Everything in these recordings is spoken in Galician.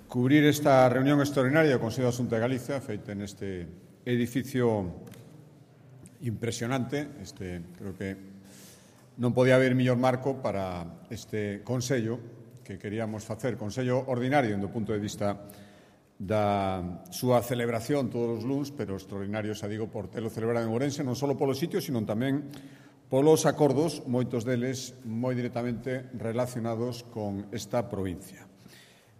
cubrir esta reunión extraordinaria do Consello de Asuntos de Galicia feita neste edificio impresionante. Creo que non podía haber mellor marco para este Consello que queríamos facer, Consello ordinario do punto de vista da súa celebración todos os luns, pero extraordinario, xa digo, por telo celebrado en Ourense, non só polo sitio, sino tamén polos acordos, moitos deles moi directamente relacionados con esta provincia.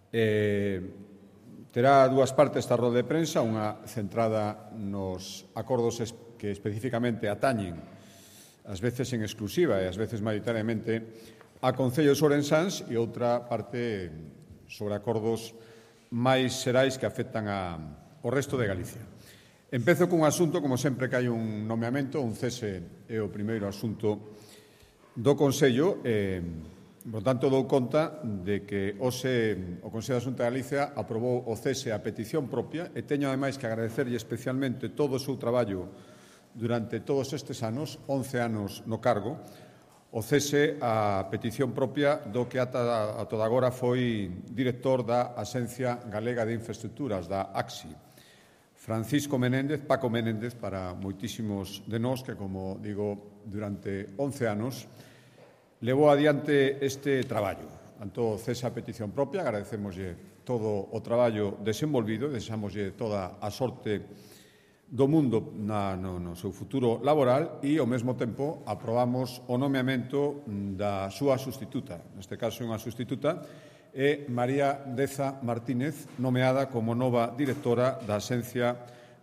Terá dúas partes esta roda de prensa, unha centrada nos acordos que especificamente atañen, ás veces en exclusiva e ás veces maioritariamente, a concellos ourensáns, e outra parte sobre acordos máis xerais que afectan ao resto de Galicia. Empezo cun asunto, como sempre que hai un nomeamento, un cese é o primeiro asunto do Consello. Por tanto, dou conta de que hoxe o Consello de Asuntos de Galicia aprobou o cese a petición propia e teño, ademais, que agradecerlle especialmente todo o seu traballo durante todos estes anos, 11 anos no cargo, o cese a petición propia do que ata toda agora foi director da Axencia Galega de Infraestructuras, da AXI. Francisco Menéndez, Paco Menéndez, para moitísimos de nós que, como digo, durante 11 anos levou adiante este traballo. Tanto cesa a petición propia, agradecemoslle todo o traballo desenvolvido, deseamoslle toda a sorte do mundo no seu futuro laboral e, ao mesmo tempo, aprobamos o nomeamento da súa sustituta. Neste caso, unha sustituta é María Deza Martínez, nomeada como nova directora da Axencia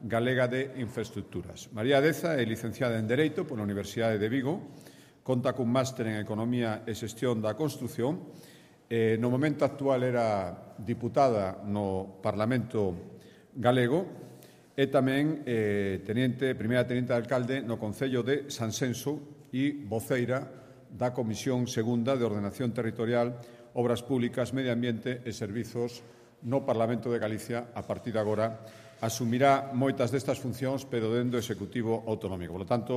Galega de Infraestructuras. María Deza é licenciada en Dereito pola Universidade de Vigo, conta cun máster en Economía e Xestión da Construción. No momento actual era diputada no Parlamento galego e tamén primeira teniente de alcalde no Concello de Sanxenxo e voceira da Comisión Segunda de Ordenación Territorial, Obras Públicas, Medio Ambiente e Servizos no Parlamento de Galicia. A partir de agora asumirá moitas destas funcións, pero dentro do Executivo Autonómico. Por lo tanto,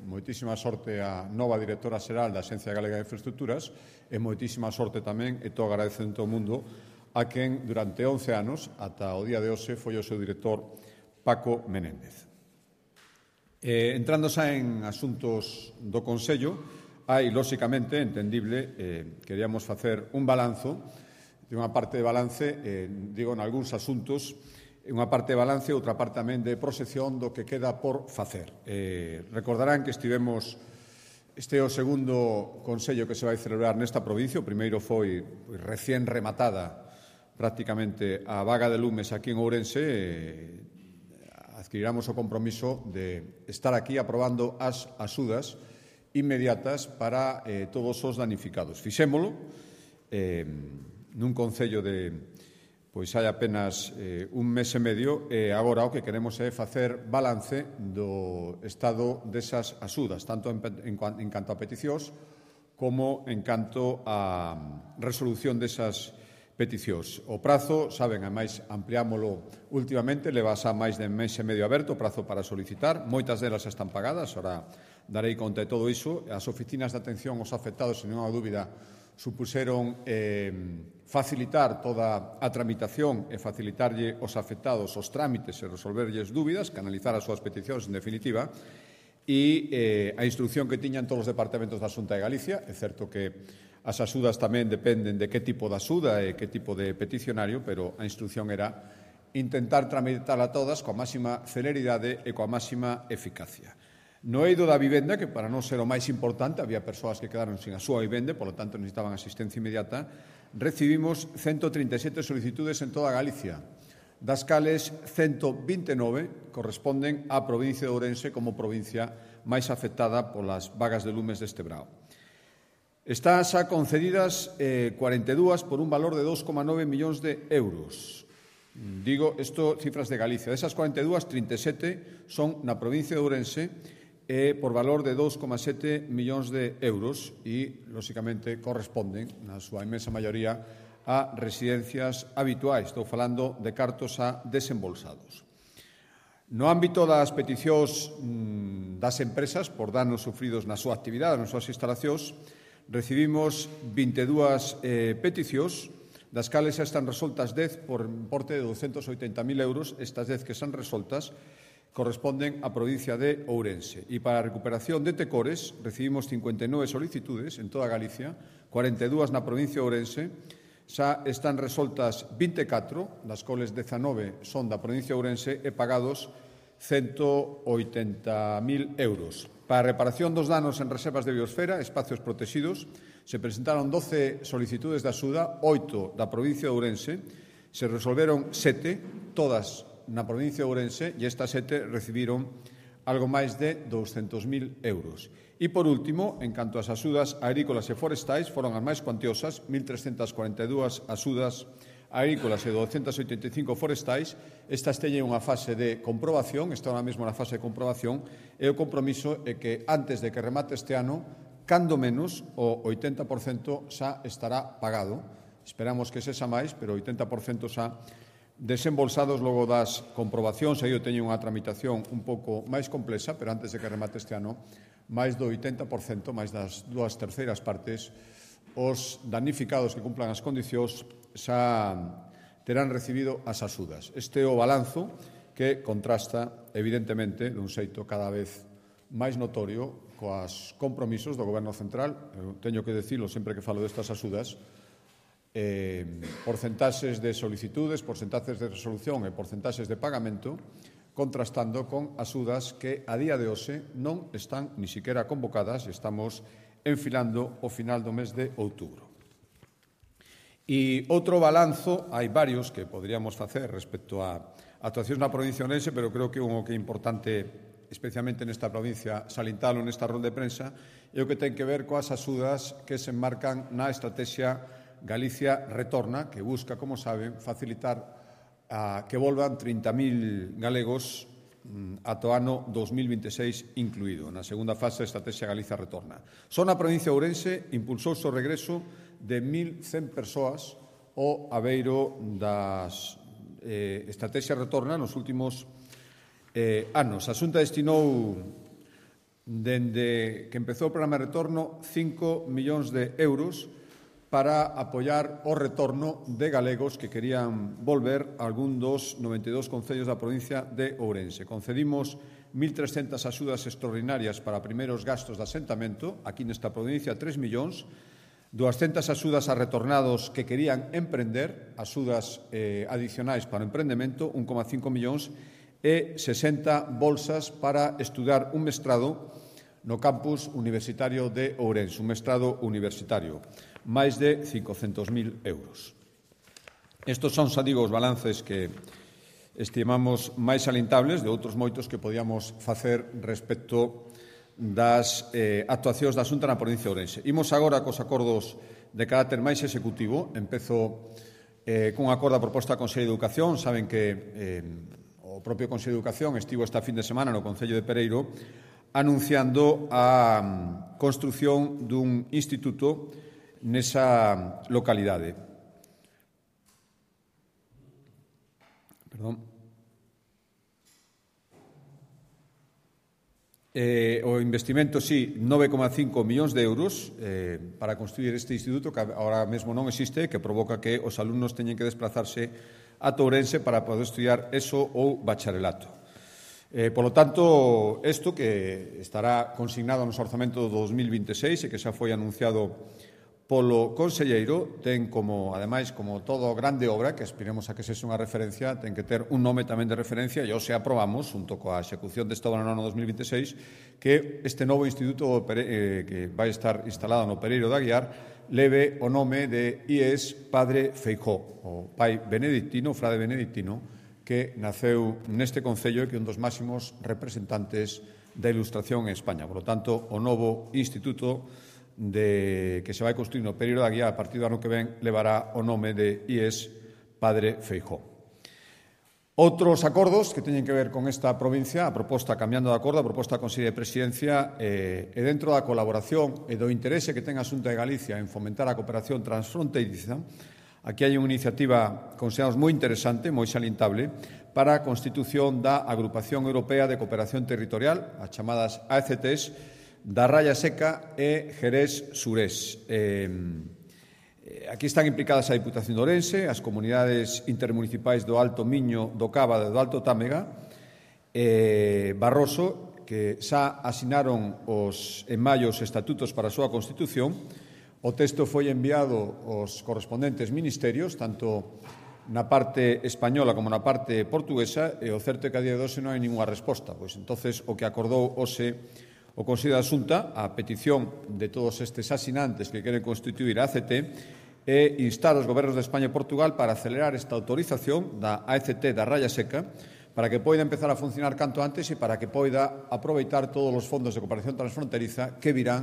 moitísima sorte a nova directora xeral da Axencia Galega de Infraestructuras e moitísima sorte tamén, e todo agradecendo todo o mundo, a quen durante 11 anos, ata o día de hoxe, foi o seu director Paco Menéndez. Entrando xa en asuntos do Consello, hai, lóxicamente, entendible, queríamos facer un balanzo, de unha parte de balance, digo, en algúns asuntos, unha parte de balance e outra parte tamén de proxección do que queda por facer. Recordarán que este é o segundo Consello que se vai celebrar nesta provincia. O primeiro foi recén rematada prácticamente a vaga de lumes aquí en Ourense. Adquiriramos o compromiso de estar aquí aprobando as axudas inmediatas para todos os danificados. Fixémolo nun Concello de hai apenas un mes e medio, e agora o que queremos é facer balance do estado desas axudas, tanto en canto a peticións como en canto a resolución desas peticións. O prazo, saben, ademais ampliámolo últimamente, leva xa máis de mes e medio aberto o prazo para solicitar, moitas delas están pagadas, ora darei conta de todo iso. As oficinas de atención aos afectados, sen ninguna dúbida, supuseron facilitar toda a tramitación e facilitarlle aos afectados os trámites e resolverlles dúbidas, canalizar as súas peticións, en definitiva, e a instrucción que tiñan todos os departamentos da Xunta de Galicia. É certo que as axudas tamén dependen de que tipo de axuda e que tipo de peticionario, pero a instrucción era intentar tramitarla todas coa máxima celeridade e coa máxima eficacia. No eido da vivenda, que para nós era o máis importante, había persoas que quedaron sin a súa vivenda, polo tanto necesitaban asistencia inmediata, recibimos 137 solicitudes en toda Galicia, das cales 129 corresponden á provincia de Ourense como provincia máis afectada polas vagas de lumes deste brao. Están xa concedidas 42 por un valor de 2,9 millóns de euros. Digo, isto cifras de Galicia. Desas 42, 37 son na provincia de Ourense por valor de 2,7 millóns de euros e, lóxicamente, corresponden, na súa inmensa maioría, a residencias habituais. Estou falando de cartos a desembolsados. No ámbito das peticións das empresas por danos sufridos na súa actividade, nas súas instalacións, recibimos 22 peticións das cales xa están resoltas 10 por importe de 280.000 euros. Estas 10 que están resoltas corresponden á provincia de Ourense. E para a recuperación de tecores recibimos 59 solicitudes en toda Galicia, 42 na provincia de Ourense. Xa están resoltas 24, das coles 19 son da provincia de Ourense e pagados 180.000 euros. Para a reparación dos danos en reservas de biosfera, espacios protegidos, se presentaron 12 solicitudes de axuda, 8 da provincia de Ourense, se resolveron 7, todas na provincia de Ourense, e estas 7 recibiron algo máis de 200.000 euros. E, por último, en canto ás axudas agrícolas e forestais, foron as máis cuantiosas, 1.342 axudas agrícolas e 285 forestais. Estas teñen unha fase de comprobación, están ahora mesmo na fase de comprobación, e o compromiso é que antes de que remate este ano, cando menos o 80% xa estará pagado. Esperamos que sexa máis, pero o 80% xa desembolsados logo das comprobacións. Aí eu teño unha tramitación un pouco máis complexa, pero antes de que remate este ano, máis do 80%, máis das 2/3 partes, os damnificados que cumplan as condicións xa terán recibido as axudas. Este é o balanzo que contrasta, evidentemente, dun xeito cada vez máis notorio coas compromisos do Goberno central. Eu teño que dicilo sempre que falo destas axudas, porcentaxes de solicitudes, porcentaxes de resolución e porcentaxes de pagamento, contrastando con axudas que a día de hoxe non están ni siquiera convocadas e estamos enfilando o final do mes de outubro. E outro balanzo, hai varios que poderíamos facer respecto a actuacións na provincia de Ourense, pero creo que o que é importante, especialmente nesta provincia, salintalo nesta rolda de prensa, é o que ten que ver coas axudas que se enmarcan na estrategia Galicia Retorna, que busca, como saben, facilitar que volvan 30.000 galegos ata o ano 2026 incluído, na segunda fase da estrategia Galicia Retorna. Só na provincia de Ourense impulsouse o regreso de 1.100 persoas ao abeiro das estrategia Retorna nos últimos anos. A Xunta destinou, dende que empezou o programa de retorno, 5 millóns de euros para apoiar o retorno de galegos que querían volver a algún dos 92 concellos da provincia de Ourense. Concedimos 1.300 axudas extraordinarias para primeiros gastos de asentamento, aquí nesta provincia 3 millóns, 200 axudas a retornados que querían emprender, axudas adicionais para o emprendemento, 1,5 millóns, e 60 bolsas para estudar un mestrado no campus universitario de Ourense, un mestrado universitario, máis de 500.000 euros. Estos son, xa digo, os balances que estimamos máis alintables de outros moitos que podíamos facer respecto das actuacións da Xunta na provincia de Ourense. Imos agora cos acordos de carácter máis executivo. Empezo cun acordo a proposta do Consello de Educación. Saben que o propio Consello de Educación estivo esta fin de semana no Concello de Pereiro anunciando a construción dun instituto nesa localidade. Perdón. O investimento, sí, 9,5 millóns de euros para construir este instituto que agora mesmo non existe, que provoca que os alumnos teñen que desplazarse a Ourense para poder estudiar ESO ou bacharelato. Por lo tanto, isto que estará consignado nos orzamentos do 2026 e que xa foi anunciado polo conselleiro, ten como, ademais, como todo grande obra, que aspiremos a que sexa unha referencia, ten que ter un nome tamén de referencia, e hoxe aprobamos, junto coa execución desta obra no ano 2026, que este novo instituto que vai estar instalado no Pereiro de Aguiar leve o nome de IES Padre Feijó, o pai benedictino, frade benedictino, que naceu neste concello e que é un dos máximos representantes da ilustración en España. Por lo tanto, o novo instituto que se vai construir no Pereiro de Aguiar a partir do ano que ven levará o nome de IES Padre Feijó. Outros acordos que teñen que ver con esta provincia, a proposta, cambiando de acordo, a proposta da Consellería de Presidencia e dentro da colaboración e do interese que ten a Xunta de Galicia en fomentar a cooperación transfronteiriza. Aquí hai unha iniciativa, consideramos, moi interesante, moi salientable, para a constitución da Agrupación Europea de Cooperación Territorial, as chamadas AECTs, da Raya Seca e Jerez Surés. Aquí están implicadas a Diputación de Ourense, as comunidades intermunicipais do Alto Miño, do Cábado e do Alto Támega, Barroso, que xa asinaron en maio os estatutos para a súa constitución. O texto foi enviado aos correspondentes ministerios, tanto na parte española como na parte portuguesa, e o certo é que a día de hoxe non hai ninguna resposta. Pois entonces o que acordou hoxe o Consello da Xunta, a petición de todos estes asinantes que queren constituir a ACT, é instar os gobernos de España e Portugal para acelerar esta autorización da ACT da Raya Seca para que poida empezar a funcionar canto antes e para que poida aproveitar todos os fondos de cooperación transfronteriza que virán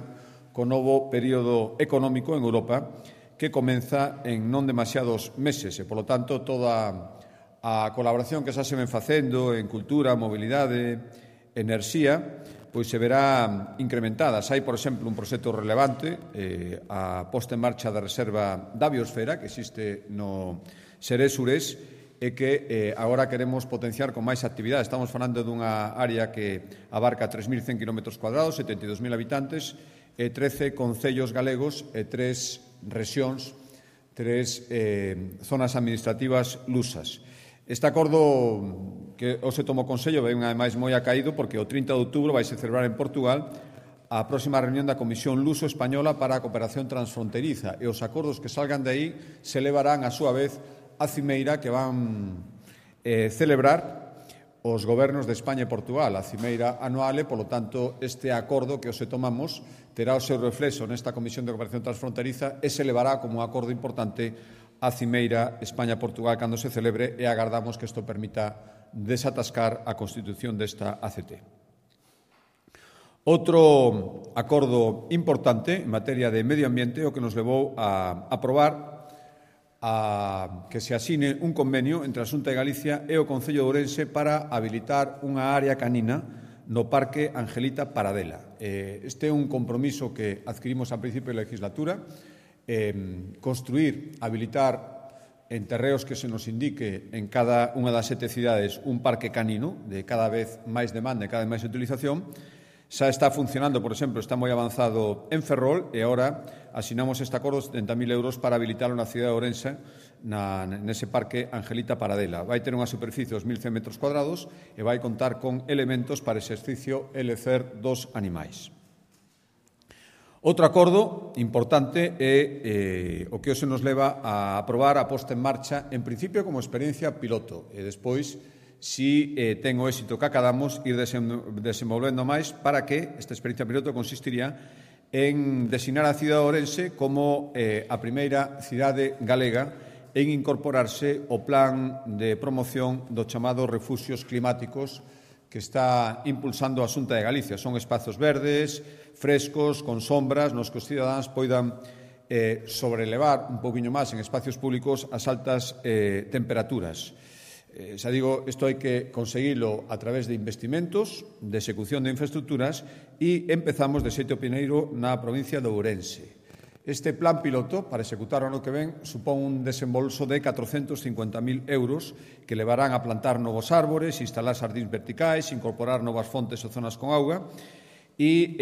co novo período económico en Europa que comeza en non demasiados meses e, polo tanto, toda a colaboración que xa se ven facendo en cultura, mobilidade, enerxía, pois se verá incrementada. Hai, por exemplo, un proxecto relevante, a posta en marcha da reserva da biosfera que existe no Xerés-Urés e que agora queremos potenciar con máis actividades. Estamos falando dunha área que abarca 3.100 km cuadrados, 72.000 habitantes, e 13 concellos galegos e 3 rexións, 3 zonas administrativas lusas. Este acordo que hoxe tomou o Consello ven ademais moi acaído porque o 30 de outubro vai se celebrar en Portugal a próxima reunión da Comisión Luso-Española para a Cooperación Transfronteriza e os acordos que salgan de aí se levarán a súa vez a cimeira que van celebrar os gobernos de España e Portugal, a cimeira anual e, polo tanto, este acordo que hoxe tomamos terá o seu reflexo nesta Comisión de Cooperación Transfronteriza e se levará como un acordo importante a cimeira España-Portugal cando se celebre e agardamos que isto permita desatascar a constitución desta ACT. Outro acordo importante en materia de medio ambiente o que nos levou a aprobar que se asine un convenio entre a Xunta de Galicia e o Concello de Ourense para habilitar unha área canina no Parque Angelita Paradela. Este é un compromiso que adquirimos a principio de legislatura, construir, habilitar en terreos que se nos indique en cada unha das 7 cidades un parque canino de cada vez máis demanda e cada vez máis utilización. Xa está funcionando, por exemplo, está moi avanzado en Ferrol e agora asinamos este acordo de 70.000 euros para habilitarlo na cidade de Ourense nese parque Angelita Paradela. Vai ter unha superficie de 2.100 metros cuadrados e vai contar con elementos para exercicio e lecer dos animais. Outro acordo importante é o que hoxe nos leva a aprobar a posta en marcha, en principio como experiencia piloto, e despois, si ten o éxito que acadamos, ir desenvolvendo máis para que esta experiencia piloto consistiría en designar a cidade de Ourense como a primeira cidade galega en incorporarse ao plan de promoción dos chamados refuxios climáticos que está impulsando a Xunta de Galicia. Son espazos verdes, frescos, con sombras, nos que os cidadáns poidan sobrelevar un poquinho máis en espacios públicos as altas temperaturas. Xa digo, isto hai que conseguilo a través de investimentos, de execución de infraestructuras e empezamos de xeito pioneiro na provincia de Ourense. Este plan piloto, para executar o ano que ven, supón un desembolso de 450.000 euros que levarán a plantar novos árbores, instalar xardíns verticais, incorporar novas fontes ou zonas con auga e,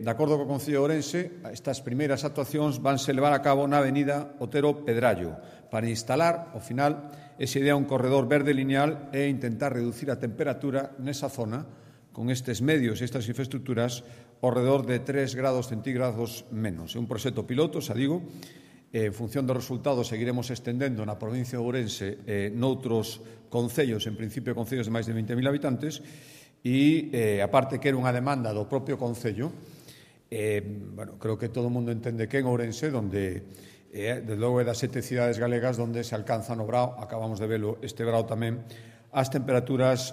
de acordo co Concello de Ourense, estas primeiras actuacións vanse levar a cabo na avenida Otero Pedrallo para instalar, ao final, esa idea un corredor verde lineal e intentar reducir a temperatura nesa zona con estes medios e estas infraestructuras ao redor de 3 grados centígrados menos. É un proxecto piloto, xa digo, en función dos resultados seguiremos estendendo na provincia de Ourense noutros concellos, en principio concellos de máis de 20.000 habitantes, e aparte que era unha demanda do propio concello, creo que todo o mundo entende que en Ourense, donde desde logo é das 7 cidades galegas onde se alcanza no Brao, acabamos de velo este Brao tamén, as temperaturas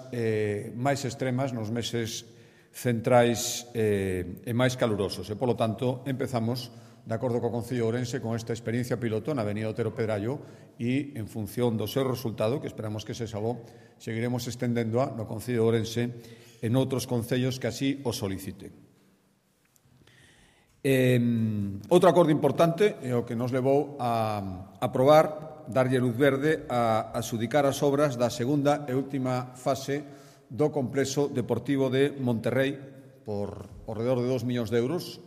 máis extremas nos meses centrais e máis calurosos. E, polo tanto, empezamos, de acordo co Concello de Ourense, con esta experiencia piloto na avenida Otero Pedrallo e, en función do seu resultado, que esperamos que se sabó, seguiremos estendendo no Concello de Ourense en outros concellos que así o soliciten. Outro acordo importante é o que nos levou a aprobar, darlle luz verde a adxudicar as obras da segunda e última fase do complexo deportivo de Monterrey por ao redor de 2 millóns de euros,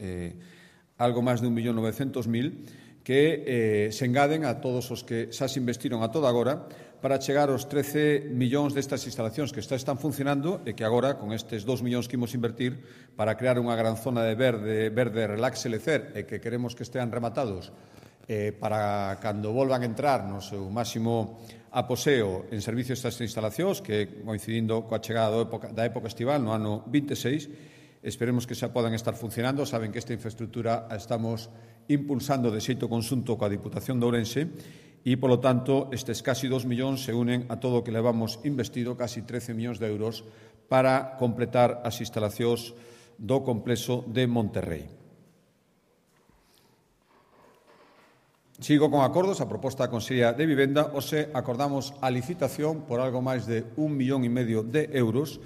algo máis de 1.900.000, que se engaden a todos os que xa se investiron a toda agora para chegar aos 13 millóns destas instalacións que están funcionando e que agora, con estes 2 millóns que imos invertir para crear unha gran zona de verde relax e lecer e que queremos que estean rematados para cando volvan a entrar no seu máximo aposeo en servicio estas instalacións, que coincidindo coa chegada da época estival no ano 26, esperemos que xa podan estar funcionando. Saben que esta infraestructura a estamos impulsando de xeito conxunto coa Diputación de Ourense e, polo tanto, estes casi 2 millóns se unen a todo o que levamos investido, casi 13 millóns de euros, para completar as instalacións do complexo de Monterrey. Sigo con acordos. A proposta da Consellería de Vivenda, hoxe acordamos a licitación por algo máis de 1,5 millón de euros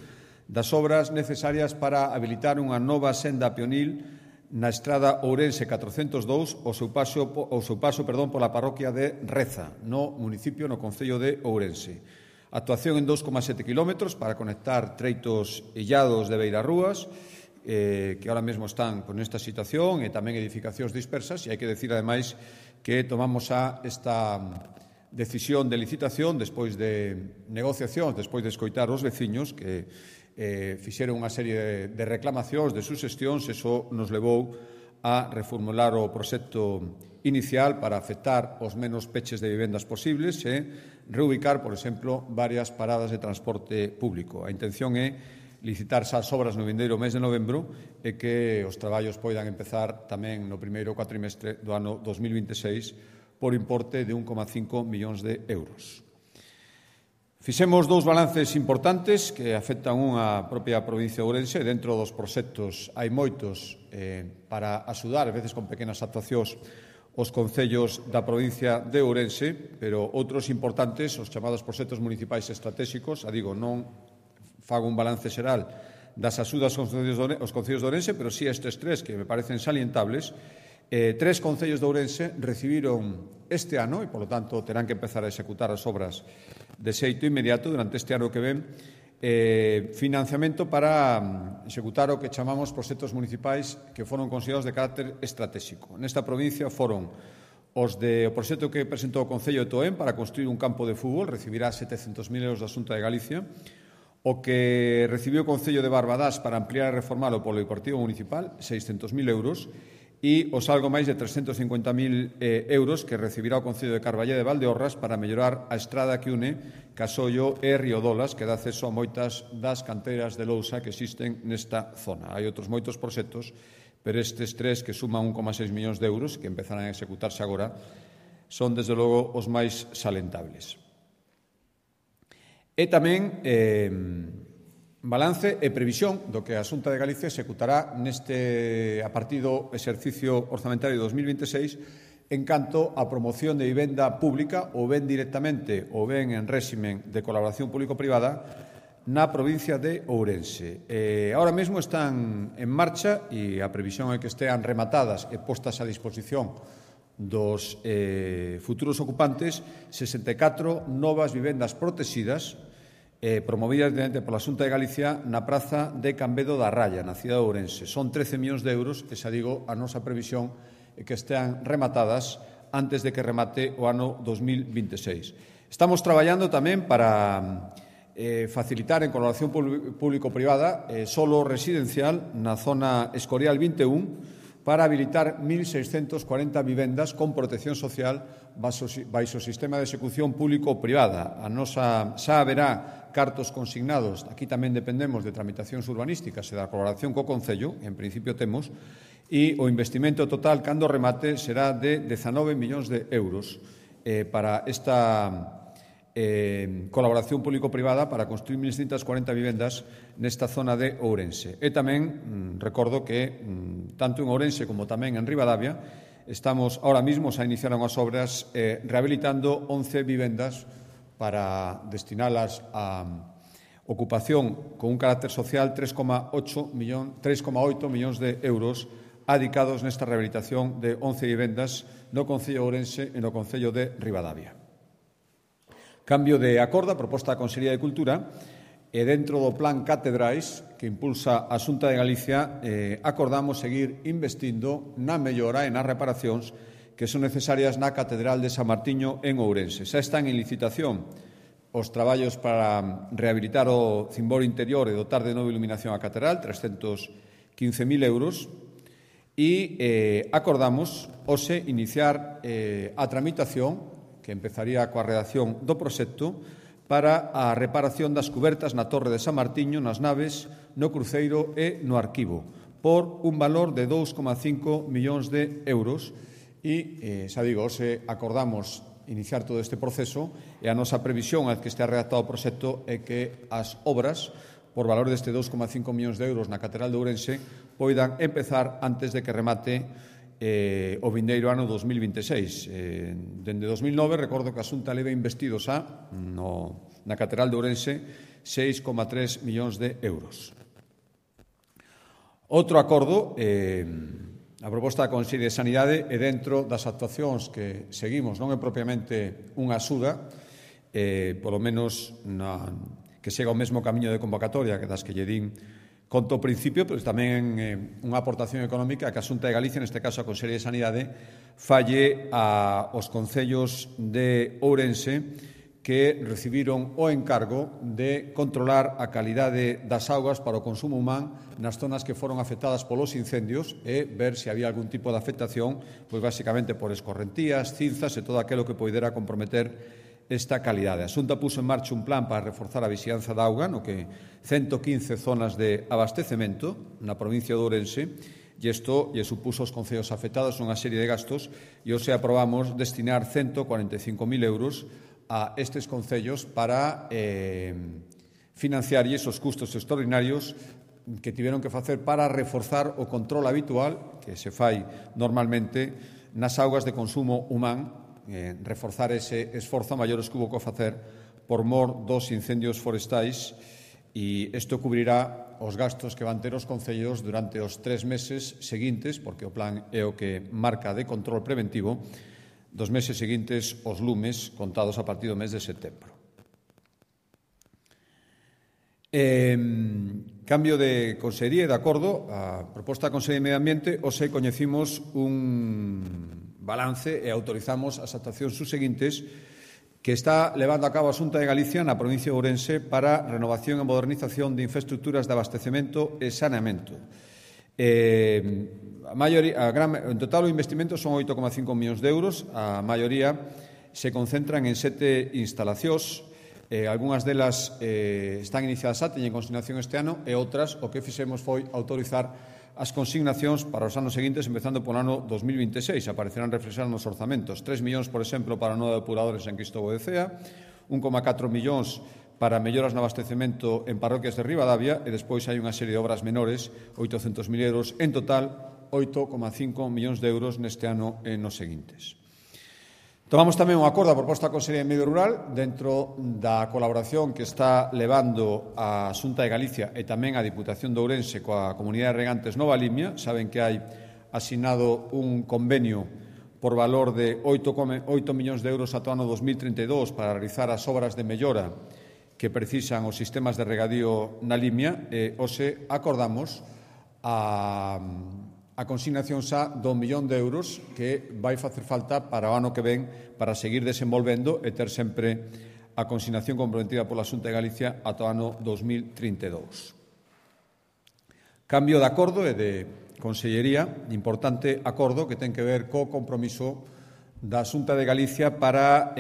das obras necesarias para habilitar unha nova senda peonil na estrada Ourense 402 ao seu paso pola parroquia de Reza, no municipio, no concello de Ourense. Actuación en 2,7 kilómetros para conectar treitos illados de beirarrúas que ahora mesmo están nesta situación e tamén edificacións dispersas, e hai que decir, ademais, que tomamos esta decisión de licitación despois de negociacións, despois de escoitar os veciños que fixeron unha serie de reclamacións, de suxestións. Eso nos levou a reformular o proxecto inicial para afectar os menos peches de vivendas posibles e reubicar, por exemplo, varias paradas de transporte público. A intención é licitar as obras no vindeiro mes de novembro e que os traballos poidan empezar tamén no primeiro cuatrimestre do ano 2026 por importe de 1,5 millóns de euros. Fixemos 2 balances importantes que afectan unha propia provincia de Ourense. Dentro dos proxectos hai moitos para axudar, a veces con pequenas actuacións, os concellos da provincia de Ourense, pero outros importantes, os chamados proxectos municipais estratéxicos. Non fago un balance xeral das axudas aos concellos de Ourense, pero sí estes 3 que me parecen salientables. 3 concellos de Ourense recibiron este ano e, polo tanto, terán que empezar a executar as obras de xeito inmediato durante este ano que ven, financiamento para executar o que chamamos proxectos municipais que foron considerados de carácter estratégico. Nesta provincia foron os do proxecto que presentou o Concello de Toén para construir un campo de fútbol, recibirá 700.000 euros da Xunta de Galicia, o que recibiu o Concello de Barbadás para ampliar e reformar o polideportivo municipal, 600.000 euros, e os algo máis de 350.000 euros que recibirá o Concello de Carballé de Valdeorras para mellorar a estrada que une Casollo e Riodolas, que dá acceso a moitas das canteras de lousa que existen nesta zona. Hai outros moitos proxectos, pero estes 3 que suman 1,6 millóns de euros, que empezarán a executarse agora, son, desde logo, os máis salentables. E tamén balance e previsión do que a Xunta de Galicia executará a partir do exercicio orzamentario de 2026 en canto á promoción de vivenda pública, ou ben directamente ou ben en réximen de colaboración público-privada na provincia de Ourense. Ahora mesmo están en marcha e a previsión é que estean rematadas e postas a disposición dos futuros ocupantes 64 novas vivendas protegidas promovidas directamente pola Xunta de Galicia na praza de Cambedo da Raya, na cidade de Ourense. Son 13 millóns de euros e, xa digo, a nosa previsión é que estean rematadas antes de que remate o ano 2026. Estamos traballando tamén para facilitar en colaboración público-privada solo residencial na zona Escorial 21 para habilitar 1.640 vivendas con protección social baixo o sistema de execución público-privada. Xa haberá cartos consignados, aquí tamén dependemos de tramitacións urbanísticas e da colaboración co Concello, en principio temos, e o investimento total, cando remate, será de 19 millóns de euros para esta colaboración público-privada para construir 1.640 vivendas nesta zona de Ourense. E tamén recordo que tanto en Ourense como tamén en Ribadavia estamos ahora mismo a iniciar unhas obras rehabilitando 11 vivendas para destinalas a ocupación con un carácter social, 3,8 millóns de euros adicados nesta rehabilitación de 11 vivendas no Concello de Ourense e no Concello de Ribadavia. Cambio de acordo, a proposta da Consellería de Cultura, e dentro do plan Catedrais que impulsa a Xunta de Galicia, acordamos seguir investindo na mellora e nas reparacións que son necesarias na Catedral de San Martiño en Ourense. Xa están en licitación os traballos para rehabilitar o cimbor interior e dotar de nova iluminación a catedral, 315.000 euros, e acordamos hoxe iniciar a tramitación, que empezaría coa redacción do proxecto, para a reparación das cubertas na Torre de San Martiño, nas naves, no cruceiro e no arquivo, por un valor de 2,5 millóns de euros. E, xa digo, hoxe acordamos iniciar todo este proceso e a nosa previsión, a que este redactado o proxecto, é que as obras, por valor deste 2,5 millóns de euros na Catedral de Ourense, poidan empezar antes de que remate o vindeiro ano 2026. Dende 2009, recordo que a Xunta leva investidos na Catedral de Ourense 6,3 millóns de euros. Outro acordo, a proposta da Consellería de Sanidade, é dentro das actuacións que seguimos, non é propiamente unha axuda, polo menos que siga o mesmo camiño de convocatoria que das que lle din conto ao principio, pero tamén unha aportación económica que a Xunta de Galicia, neste caso a Consellería de Sanidade, falle aos concellos de Ourense que recibiron o encargo de controlar a calidade das augas para o consumo humán nas zonas que foron afectadas polos incendios e ver se había algún tipo de afectación, pois basicamente por escorrentías, cinzas e todo aquilo que poidera comprometer esta calidade. A Xunta puso en marcha un plan para reforzar a vixianza da auga, no que 115 zonas de abastecemento na provincia de Ourense, e isto lle supuso aos concellos afectados unha serie de gastos, e hoxe aprobamos destinar 145.000 euros a estes concellos para financiarlles os custos extraordinarios que tiveron que facer para reforzar o control habitual que se fai normalmente nas augas de consumo humán, reforzar ese esforzo a maiores que hubo que facer por mor dos incendios forestais, e isto cubrirá os gastos que van ter os concellos durante os 3 meses seguintes, porque o plan é o que marca de control preventivo, dos meses seguintes os lumes contados a partir do mes de setembro. Cambio de consellería e de acordo a proposta da Consellería de Medio Ambiente, hoxe coñecimos un balance e autorizamos as actuacións subseguintes que está levando a cabo a Xunta de Galicia na provincia de Ourense para renovación e modernización de infraestructuras de abastecemento e saneamento. En total o investimento son 8,5 millóns de euros, a maioría se concentran en 7 instalacións, algunhas delas están iniciadas xa, teñen consignación este ano, e outras o que fixemos foi autorizar as consignacións para os anos seguintes, empezando polo ano 2026. Aparecerán reflexados nos orzamentos. 3 millóns, por exemplo, para o novo depuradores en Cristovo de Cea, 1,4 millóns para melloras no abastecemento en parroquias de Ribadavia, e despois hai unha serie de obras menores, 800.000 euros, en total 8,5 millóns de euros neste ano e nos seguintes. Tomamos tamén un acordo a proposta da Consellería de Medio Rural dentro da colaboración que está levando a Xunta de Galicia e tamén a Diputación de Ourense coa Comunidade de Regantes Nova Limia. Saben que hai asignado un convenio por valor de 8 millóns de euros ata o ano 2032 para realizar as obras de mellora que precisan os sistemas de regadío na Limia, e hoxe acordamos a consignación xa do 1 millón de euros que vai facer falta para o ano que ven para seguir desenvolvendo e ter sempre a consignación comprometida pola Xunta de Galicia ata o ano 2032. Cambio de acordo e de consellería, importante acordo que ten que ver co compromiso da Xunta de Galicia para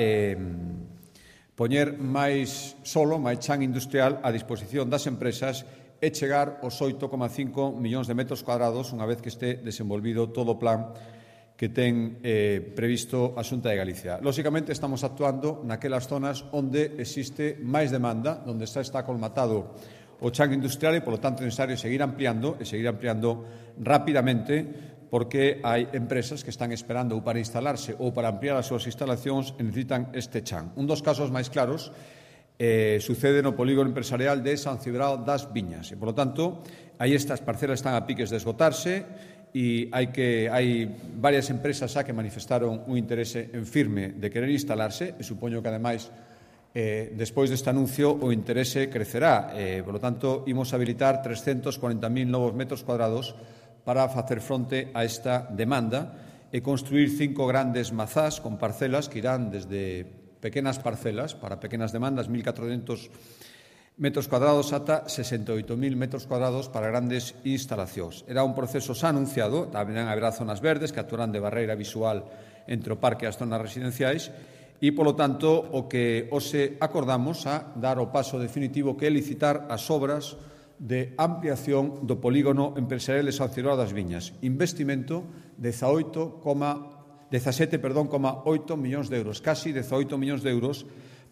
poñer máis chan industrial a disposición das empresas e chegar aos 8,5 millóns de metros cuadrados unha vez que este desenvolvido todo o plan que ten previsto a Xunta de Galicia. Lóxicamente, estamos actuando naquelas zonas onde existe máis demanda, onde xa está colmatado o chan industrial e, polo tanto, é necesario seguir ampliando rapidamente, porque hai empresas que están esperando ou para instalarse ou para ampliar as súas instalacións e necesitan este chan. Un dos casos máis claros sucede no polígono empresarial de San Cibrao das Viñas. E, polo tanto, aí estas parcelas están a piques de esgotarse e hai varias empresas xa que manifestaron un interese en firme de querer instalarse, e supoño que, ademais, despois deste anuncio, o interese crecerá. Por lo tanto, imos habilitar 340.000 novos metros cuadrados para facer fronte a esta demanda e construir 5 grandes mazás con parcelas que irán desde pequenas parcelas para pequenas demandas, 1.400 metros cuadrados ata 68.000 metros cuadrados para grandes instalacións. Era un proceso xa anunciado, tamén haberá zonas verdes que actuarán de barreira visual entre o parque e as zonas residenciais e, polo tanto, o que hoxe acordamos a dar o paso definitivo que é licitar as obras de ampliación do polígono empresarial de San Cibrao das Viñas. Investimento de 17,8 millóns de euros, casi 18 millóns de euros,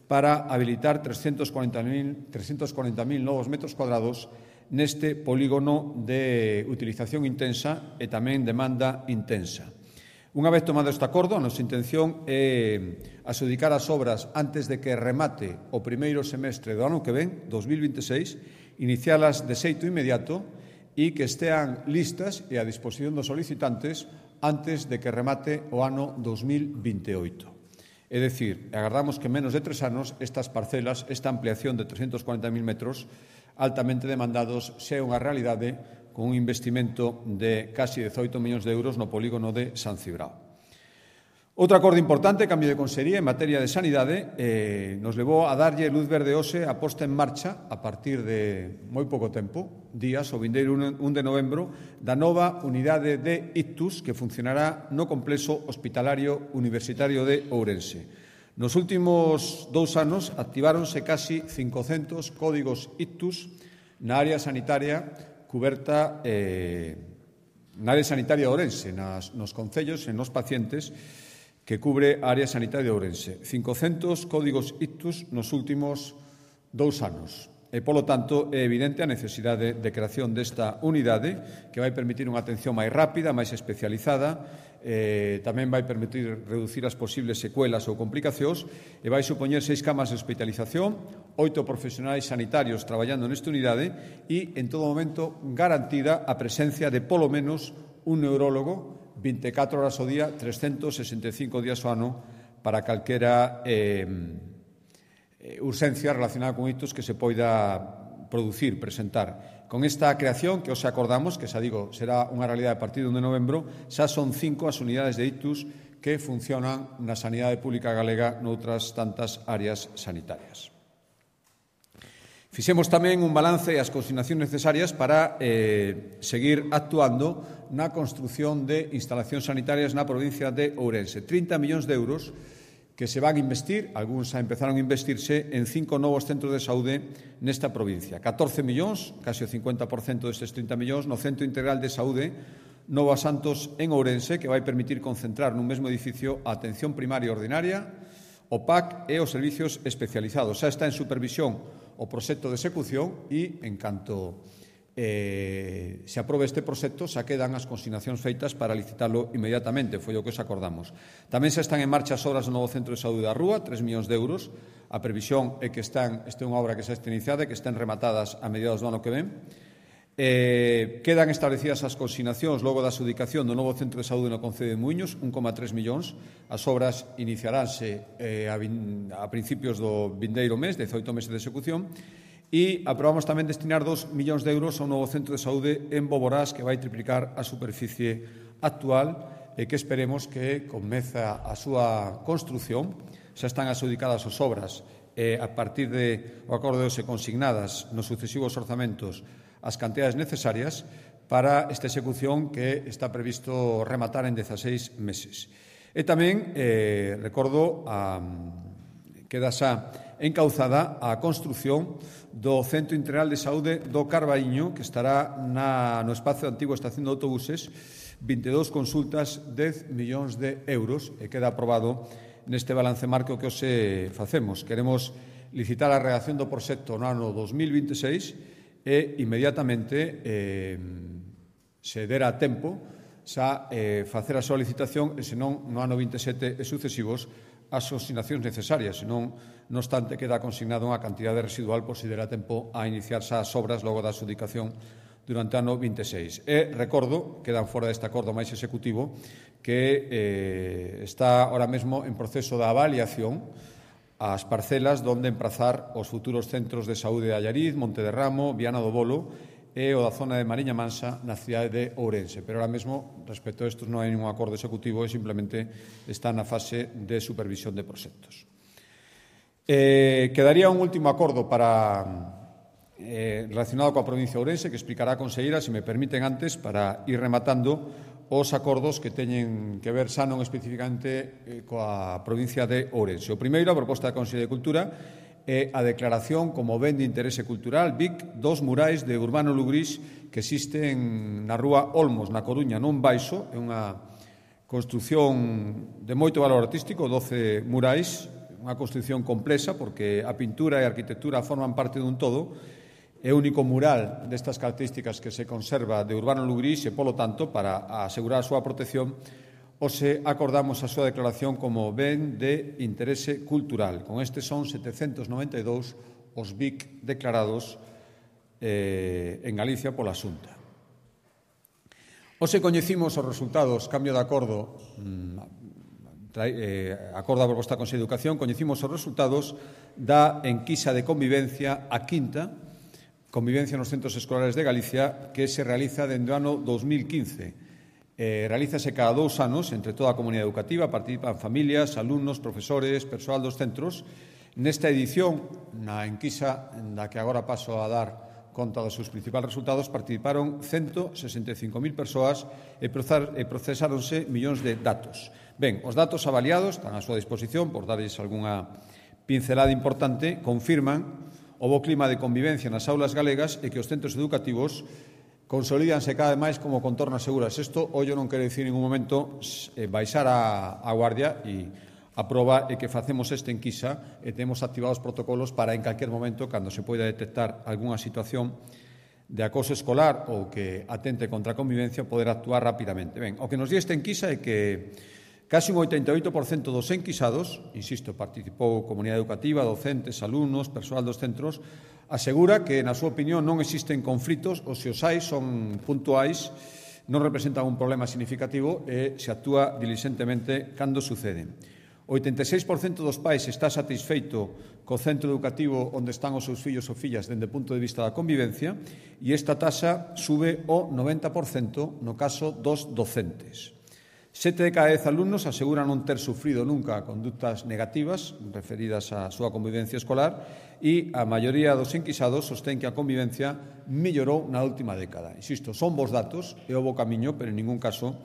para habilitar 340.000 novos metros cuadrados neste polígono de utilización intensa e tamén demanda intensa. Unha vez tomado este acordo, a nosa intención é adxudicar as obras antes de que remate o primeiro semestre do ano que ven, 2026, inicialas de xeito inmediato e que estean listas e a disposición dos solicitantes antes de que remate o ano 2028. É dicir, agardamos que en menos de 3 anos estas parcelas, esta ampliación de 340.000 metros altamente demandados, sea unha realidade con un investimento de casi 18 millóns de euros no polígono de San Cibrao. Outro acordo importante, cambio de consellería en materia de sanidade, nos levou a darlle luz verde hoxe a posta en marcha, a partir de moi pouco tempo, días, o vindeiro 1 de novembro, da nova unidade de ictus que funcionará no complexo hospitalario universitario de Ourense. Nos últimos 2 anos activáronse casi 500 códigos ictus na área sanitaria cuberta na área sanitaria de Ourense, nos concellos e nos pacientes que cubre a área sanitaria de Ourense. 500 códigos ictus nos últimos 2 anos. E, polo tanto, é evidente a necesidade de creación desta unidade que vai permitir unha atención máis rápida, máis especializada, tamén vai permitir reducir as posibles secuelas ou complicacións e vai supoñer 6 camas de hospitalización, 8 profesionais sanitarios traballando nesta unidade e, en todo momento, garantida a presencia de, polo menos, un neurólogo 24 horas ao día, 365 días ao ano para calquera urxencia relacionada con ictus que se poida producir, presentar. Con esta creación que hoxe acordamos, que xa digo, será unha realidade a partir do 1 de novembro, xa son 5 as unidades de ictus que funcionan na sanidade pública galega noutras tantas áreas sanitarias. Fixemos tamén un balance e as consignacións necesarias para seguir actuando na construción de instalacións sanitarias na provincia de Ourense. 30 millóns de euros que se van a investir, algúns xa empezaron a investirse, en 5 novos centros de saúde nesta provincia. 14 millóns, casi o 50% destes 30 millóns, no Centro Integral de Saúde Nova Santos en Ourense, que vai permitir concentrar nun mesmo edificio a atención primaria ordinaria, o PAC e os servicios especializados. Xa está en supervisión o proxecto de execución e, en canto se aprobe este proxecto, xa quedan as consignacións feitas para licitalo inmediatamente, foi o que os acordamos. Tamén xa están en marcha as obras do novo Centro de Saúde da Rúa, 3 millóns de euros. A previsión é que esta é unha obra que xa está iniciada e que estén rematadas a mediados do ano que ven. Quedan establecidas as consignacións logo da adxudicación do novo Centro de Saúde no Concello de Muiños, 1,3 millóns. As obras iniciaránse a principios do vindeiro mes, 18 meses de execución. E aprobamos tamén destinar 2 millóns de euros a un novo centro de saúde en Boborás que vai triplicar a superficie actual e que esperemos que comeza a súa construción. Xa están adxudicadas as obras a partir do acordo de hoxe consignadas nos sucesivos orzamentos as cantidades necesarias para esta execución que está previsto rematar en 16 meses. E tamén recordo queda xa encauzada a construción do Centro Integral de Saúde do Carballiño, que estará no espacio da antigua estación de autobuses, 22 consultas, 10 millóns de euros, e queda aprobado neste balance marco que hoxe facemos. Queremos licitar a redacción do proxecto no ano 2026 e inmediatamente, se dera tempo, xa facer a súa licitación e, senón, no ano 27 e sucesivos, as consignacións necesarias, senón, no obstante, queda consignado unha cantidade residual por se dera tempo a iniciarse as obras logo da adxudicación durante o ano 26. E recordo, quedan fora deste acordo máis executivo, que está ahora mesmo en proceso de avaliación as parcelas donde emprazar os futuros centros de saúde de Allariz, Monte de Ramo, Viana do Bolo e o da zona de Mariña Mansa na cidade de Ourense. Pero ahora mesmo, respecto a estos, non hai ningún acordo executivo e simplemente está na fase de supervisión de proxectos. Quedaría un último acordo relacionado coa provincia de Ourense que explicará a conselleira, se me permiten antes, para ir rematando os acordos que teñen que ver xa non especificamente coa provincia de Ourense. O primeiro, a proposta da Consellería de Cultura, é a declaración como ben de interese cultural BIC dos murais de Urbano Lugrís que existen na rúa Olmos, na Coruña, nun baixo. É unha construción de moito valor artístico, 12 murais, unha construción complexa porque a pintura e a arquitectura forman parte dun todo. É o único mural destas características que se conserva de Urbano Lugrís e, polo tanto, para asegurar a súa protección, hoxe acordamos a súa declaración como ben de interese cultural. Con estes son 792 os BIC declarados en Galicia pola Xunta. Hoxe coñecimos os resultados, cambio de acordo, acordo da proposta da Consellería de Educación, coñecimos os resultados da enquisa de convivencia, a quinta, convivencia nos centros escolares de Galicia, que se realiza dende o ano 2015. Realízase cada 2 anos entre toda a comunidade educativa, participan familias, alumnos, profesores, persoal dos centros. Nesta edición, na enquisa da que agora paso a dar conta dos seus principais resultados, participaron 165.000 persoas e procesáronse millóns de datos. Ben, os datos avaliados están á súa disposición, por darlles algunha pincelada importante, confirman o bo clima de convivencia nas aulas galegas e que os centros educativos consolídanse cada vez máis como contornas seguras. Isto, ollo, non quere dicir en ningún momento baixar a guardia, e a proba é que facemos esta enquisa e temos activados protocolos para, en calquer momento, cando se poida detectar algunha situación de acoso escolar ou que atente contra a convivencia, poder actuar rapidamente. Ben, o que nos di esta enquisa é que casi un 88% dos enquisados, insisto, participou comunidade educativa, docentes, alumnos, persoal dos centros, asegura que, na súa opinión, non existen conflitos ou, se os hai, son puntuais, non representan un problema significativo e se actúa diligentemente cando suceden. O 86% dos pais está satisfeito co centro educativo onde están os seus fillos ou fillas dende o punto de vista da convivencia, e esta taxa sube ao 90% no caso dos docentes. 7 de cada 10 alumnos aseguran non ter sufrido nunca conductas negativas referidas á súa convivencia escolar, e a maioría dos enquisados sostén que a convivencia mellorou na última década. Insisto, son bons datos, é o bo camiño, pero en ningún caso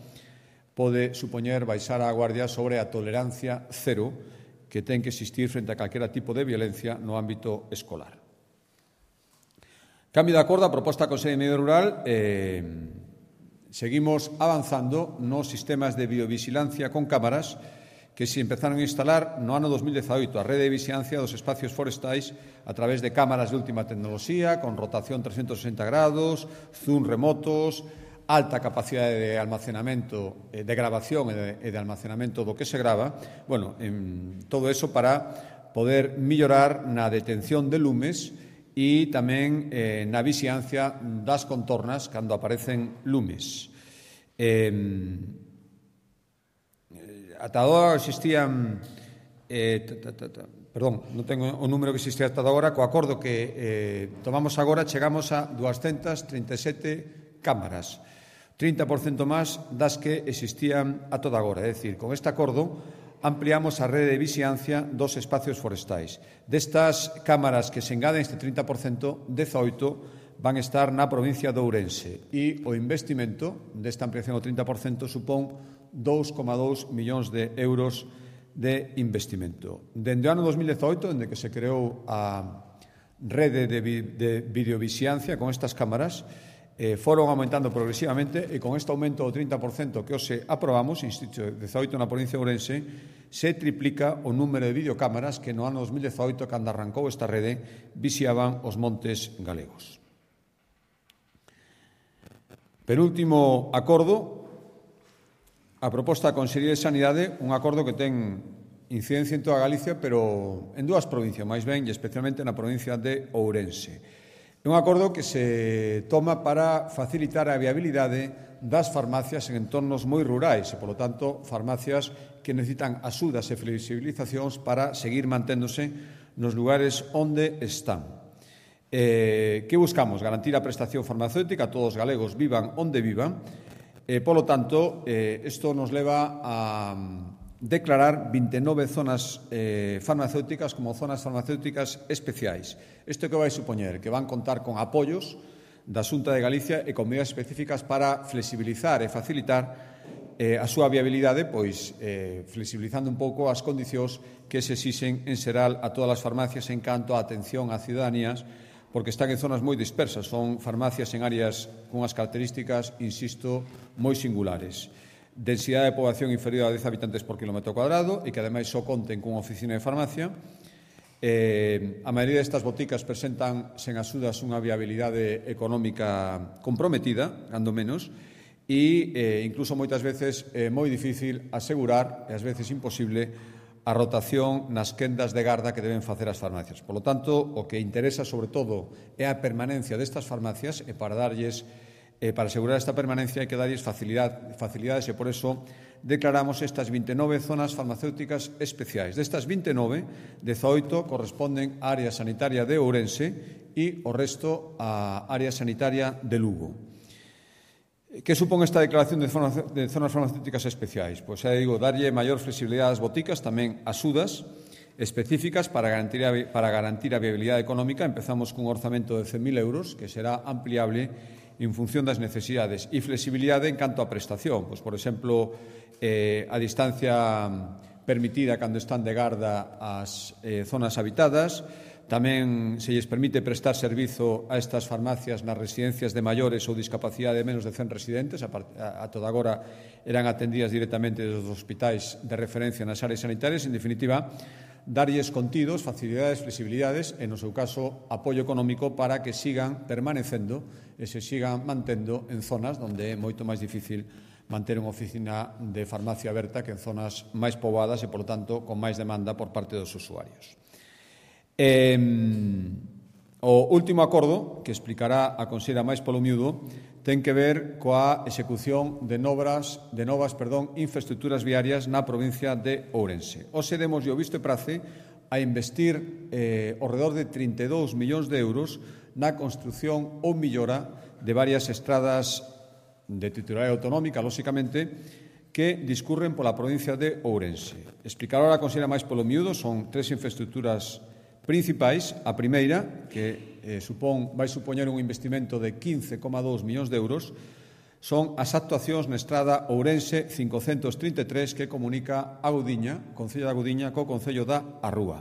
pode supoñer baixar a guardia sobre a tolerancia cero que ten que existir frente a calquera tipo de violencia no ámbito escolar. Cambio de acordo, a proposta da Consellería de Medio Rural, seguimos avanzando nos sistemas de biovigilancia con cámaras que se empezaron a instalar no ano 2018, a rede de vigilancia dos espacios forestais a través de cámaras de última tecnoloxía, con rotación 360 grados, zoom remotos, alta capacidade de almacenamento, de grabación e de almacenamento do que se grava. Bueno, todo eso para poder mellorar na detención de lumes e tamén na vixiancia das contornas cando aparecen lumes. Ata agora existían, non tengo o número que existía ata agora, co acordo que tomamos agora chegamos a 237 cámaras, 30% máis das que existían a toda agora. É dicir, con este acordo ampliamos a rede de vixiancia dos espacios forestais. Destas cámaras que se engaden este 30%, 18 van estar na provincia de Ourense, e o investimento desta ampliación ao 30% supón 2,2 millóns de euros de investimento. Dende o ano 2018, dende que se creou a rede de videovixiancia con estas cámaras, foron aumentando progresivamente, e con este aumento do 30% que hoxe aprobamos, insisto, 18 na provincia de Ourense, se triplica o número de videocámaras que no ano 2018, cando arrancou esta rede, vixiaban os montes galegos. Penúltimo acordo, a proposta da Consellería de Sanidade, un acordo que ten incidencia en toda Galicia, pero en dúas provincias, máis ben, e especialmente na provincia de Ourense. É un acordo que se toma para facilitar a viabilidade das farmacias en entornos moi rurais e, polo tanto, farmacias que necesitan axudas e flexibilizacións para seguir manténdose nos lugares onde están. Que buscamos? Garantir a prestación farmacéutica a todos os galegos, vivan onde vivan. Polo tanto, isto nos leva a declarar 29 zonas farmacéuticas como zonas farmacéuticas especiais. Isto que vai supoñer? Que van contar con apoios da Xunta de Galicia e con medidas específicas para flexibilizar e facilitar a súa viabilidade, pois flexibilizando un pouco as condicións que se exixen en xeral a todas as farmacias en canto a atención a ciudadanías, porque están en zonas moi dispersas, son farmacias en áreas cunhas características, insisto, moi singulares. Densidade de poboación inferior a 10 habitantes por kilómetro cuadrado e que ademais só conten cunha oficina de farmacia. A maioría destas boticas presentan sen axudas unha viabilidade económica comprometida, cando menos, e incluso moitas veces é moi difícil asegurar, e ás veces imposible, a rotación nas quendas de garda que deben facer as farmacias. Por lo tanto, o que interesa, sobre todo, é a permanencia destas farmacias e para asegurar esta permanencia hai que darlles facilidades e por eso declaramos estas 29 zonas farmacéuticas especiais. Destas 29, 18 corresponden á área sanitaria de Ourense e o resto á área sanitaria de Lugo. Que supón esta declaración de zonas farmacéuticas especiais? Pois, xa digo, darlle maior flexibilidade ás boticas, tamén axudas específicas para garantir a viabilidade económica. Empezamos cun orzamento de 100.000 euros, que será ampliable en función das necesidades, e flexibilidade en canto á prestación. Pois, por exemplo, a distancia permitida cando están de garda as zonas habitadas. Tamén se lles permite prestar servizo a estas farmacias nas residencias de maiores ou discapacidade de menos de 100 residentes. A toda agora eran atendidas directamente desde os hospitais de referencia nas áreas sanitarias. En definitiva, darlles contidos, facilidades, flexibilidades e, no seu caso, apoio económico para que sigan permanecendo e se sigan mantendo en zonas onde é moito máis difícil manter unha oficina de farmacia aberta que en zonas máis poboadas e, por tanto, con máis demanda por parte dos usuarios. O último acordo, que explicará a conselleira máis polo miúdo, ten que ver coa execución de novas infraestructuras viarias na provincia de Ourense. Hoxe demos o visto e prace a investir ao redor de 32 millóns de euros na construción ou millora de varias estradas de titularidade autonómica, lóxicamente, que discurren pola provincia de Ourense. Explicará a conselleira máis polo miúdo, son 3 infraestructuras principais. A primeira, que vai supoñer un investimento de 15,2 millóns de euros, son as actuacións na estrada Ourense 533 que comunica a Gudiña, Concello da Gudiña, co Concello da Arrúa.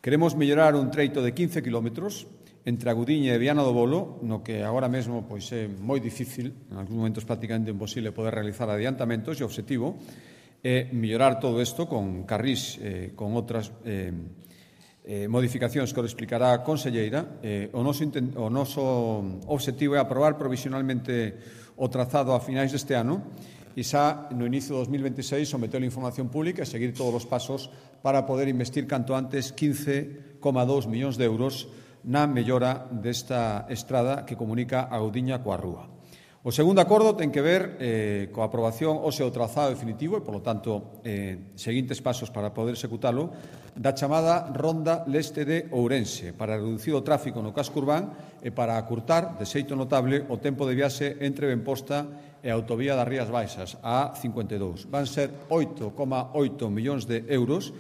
Queremos mellorar un treito de 15 kilómetros entre a Gudiña e Viana do Bolo, no que agora mesmo pois é moi difícil, en algúns momentos prácticamente imposible poder realizar adiantamentos, e o obxectivo é mellorar todo isto con carrís, con outras modificacións que o explicará a conselleira. O noso obxectivo é aprobar provisionalmente o trazado a finais deste ano e xa no inicio de 2026 someter a información pública e seguir todos os pasos para poder investir canto antes 15,2 millóns de euros na mellora desta estrada que comunica a Gudiña coa Rúa. O segundo acordo ten que ver coa aprobación o seu trazado definitivo e, polo tanto, seguintes pasos para poder executalo, da chamada Ronda Leste de Ourense, para reducir o tráfico no casco urbán e para acurtar, de xeito notable, o tempo de viaxe entre Benposta e a autovía das Rías Baixas, a A52. Van ser 8,8 millóns de euros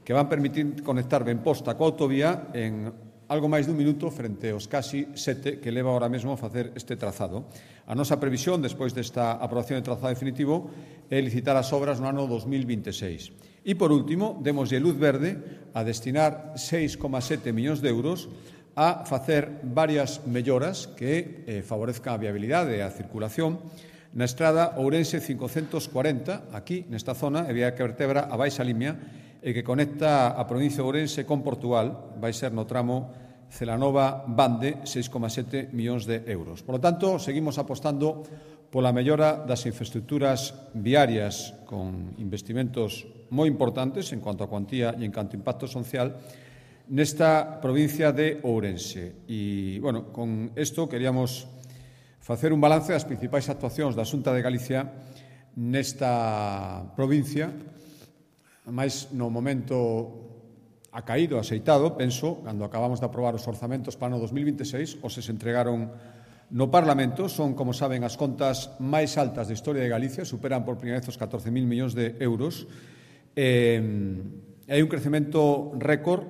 que van permitir conectar Benposta coa autovía en algo máis dun minuto frente aos casi 7 que leva ahora mesmo a facer este trazado. A nosa previsión, despois desta aprobación de trazado definitivo, é licitar as obras no ano 2026. E, por último, demoslle luz verde a destinar 6,7 millóns de euros a facer varias melloras que favorezcan a viabilidade e a circulación na estrada Ourense 540, aquí, nesta zona, e vía que vertebra a Baixa Limia e que conecta a provincia de Ourense con Portugal, vai ser no tramo Celanova-Bande, 6,7 millóns de euros. Por lo tanto, seguimos apostando pola mellora das infraestructuras viarias con investimentos moi importantes en cuanto a cuantía e en cuanto a impacto social nesta provincia de Ourense. E, bueno, con isto queríamos facer un balance das principais actuacións da Xunta de Galicia nesta provincia, máis no momento acaído, aceitado, penso, cando acabamos de aprobar os orzamentos para o ano 2026, os se entregaron no Parlamento. Son, como saben, as contas máis altas da historia de Galicia, superan por primeira vez os 14.000 millóns de euros. Hai un crecemento récord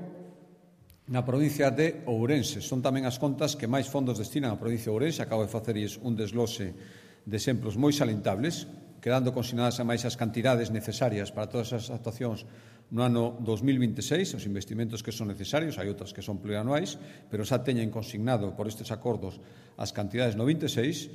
na provincia de Ourense. Son tamén as contas que máis fondos destinan á provincia de Ourense. Acabo de facerlles un desglose de exemplos moi salientables, quedando consignadas a máis as cantidades necesarias para todas as actuacións no ano 2026, os investimentos que son necesarios, hai outras que son plurianuais, pero xa teñen consignado por estes acordos as cantidades no 26.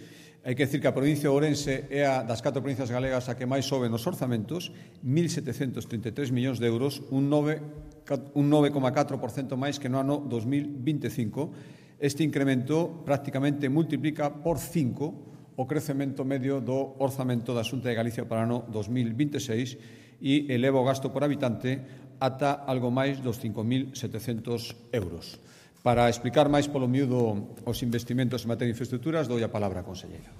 Hai que decir que a provincia de Ourense é a das 4 provincias galegas a que máis soben os orzamentos, 1.733 millóns de euros, un 9,4% máis que no ano 2025. Este incremento prácticamente multiplica por 5 o crecemento medio do orzamento da Xunta de Galicia para o ano 2026 e eleva o gasto por habitante ata algo máis dos 5.700 euros. Para explicar máis polo miúdo os investimentos en materia de infraestructuras, dou a palabra á conselleira.